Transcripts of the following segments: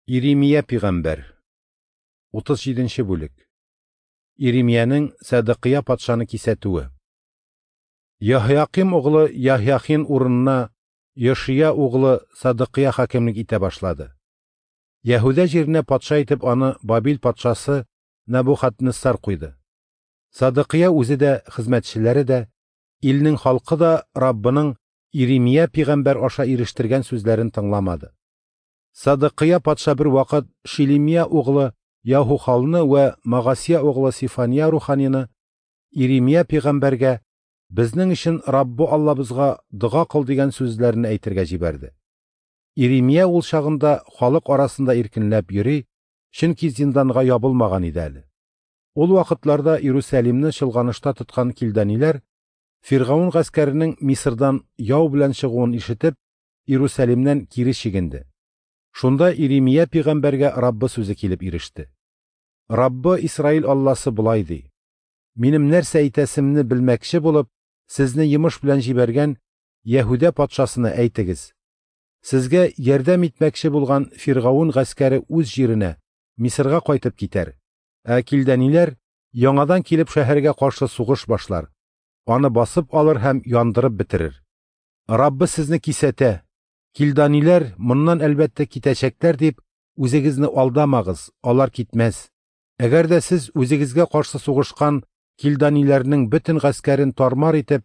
Иремия пигамбәр. 37 нче бүлек. Иремиянең Садыкыя патшаны кисәтүе. Яһяким углы Яһяхин урынына Йошия углы Садыкыя хакимлек итә башлады. Яһүдә җиренә патша итеп аны Бабил патшасы Набухаднессар куйды. Садыкыя үзе дә, хезмәтчеләре дә, илнең халкы да Раббының Иремия пигамбәр аша ирештергән сүзләрен тыңламады. Садыкыя патша бер вакыт Шилемия углы Яһухалны вә Магасия углы Сифания руханины Иремия пигамбәргә безнең өчен Раббы Аллабызга дога кыл дигән сүзләрне әйтергә җибәрде. Иремия ул чагында халык арасында иркенләп йөри, чөнки зинданга ябылмаган иде әле. Ул вакытларда Иерусалимны чолганышта тоткан килданиләр Фиргаун гаскәренең Мисырдан яу белән чыгуын ишетеп, Иерусалимнән кире чигенде. Шунда Иремия пигамбәргә Раббы сүзе килеп иреште. Раббы Исраил Алласы болай ди: Минем нәрсә әйтәсемне белмәкче булып, сезне йомыш белән җибәргән Яһүдә патшасына әйтегез. Сезгә ярдәм итмәкче булган Фиргаун гаскәре үз җиренә, Мисырга кайтып китәр. Ә килдәниләр яңадан килеп шәһәргә каршы сугыш башлар. Аны басып алыр һәм яндырып бетерер. Раббы сезне кисәтә. Килданиләр моннан әлбәттә китәчәкләр дип, үзегезне алдамагыз, алар китмәс. Әгәр дә сез үзегезгә каршы сугышкан килданиләрнең бөтен гаскәрен тармар итеп,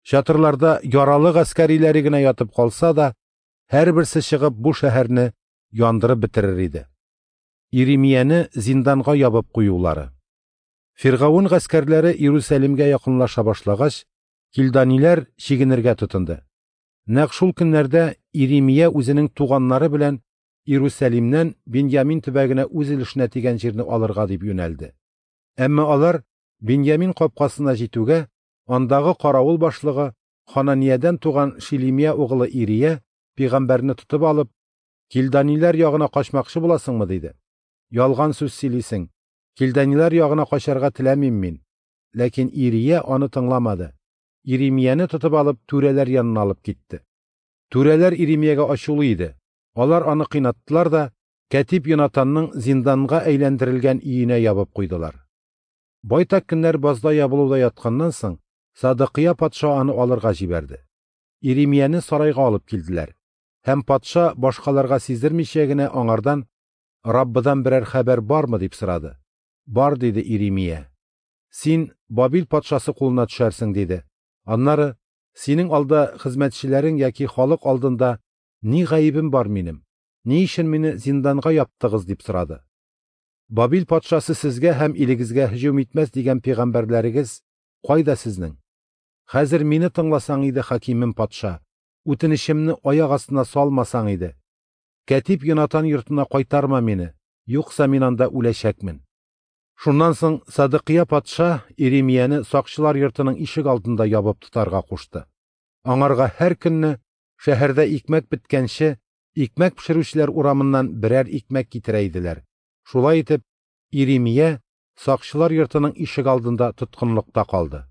чатырларда яралы гаскәриләре генә ятып калса да, һәрберсе чыгып бу шәһәрне яндырып бетерер иде. Иремияне зинданга ябып куюлары. Фиргаун гаскәрләре Иерусалимгә якынлаша башлагач, килданиләр чигенергә тотынды. Нәкъ шул көннәрдә Иремия үзенең туганнары белән Иерусалимнән Беньямин төбәгенә үз өлешенә тигән җирне алырга дип юнәлде. Әмма алар Беньямин капкасына җитүгә, андагы каравыл башлыгы Хананиядән туган Шилемия углы Ирия пигамбәрне тотып алып, «Килданиләр ягына качмакчы буласыңмы?» диде. «Ялган сүз сөйлисең. Килданиләр ягына качарга теләмим мин». Ләкин Ирия аны тыңламады. Иремияне тотып алып, түрәләр янына алып китте. Түрәләр Иремиягә ачулы иде. Алар аны кыйнаттылар да, кәтип Йонатанның зинданга әйләндерелгән өенә ябып куйдылар. Байтак көннәр базда ябылуда ятканнан соң, Садыкыя патша аны алырга җибәрде. Иремияне сарайга алып килделәр. Һәм патша башкаларга сиздермичә генә аңардан «Раббыдан берәр хәбәр бармы?» дип сорады. «Бар», диде Иремия. «Син Бабил патшасы кулына төшәрсең», диде. Аннары «Синең алда хезмәтчеләрең яки халык алдында ни гаебем бар минем? Ни өчен мине зинданга яптыгыз?» дип сорады. «Бабил патшасы сезгә һәм илегезгә һөҗүм итмәс дигән пигамбәрләрегез кайда сезнең? Хәзер мине тыңласаң иде, хакимем патша, үтенечемне аяк астына салмасаң иде. Кәтип Йонатан йортына кайтарма мине, юкса мин анда үләчәкмен». Шуннан соң Садыкыя патша Иремияне сакчылар йортының ишек алдында ябып тотарга кушты. Аңарга һәр көнне шәһәрдә икмәк беткәнче, икмәк пешерүчеләр урамыннан берәр икмәк китерә иделәр. Шулай итеп, Иремия сакчылар йортының ишек алдында тоткынлыкта калды.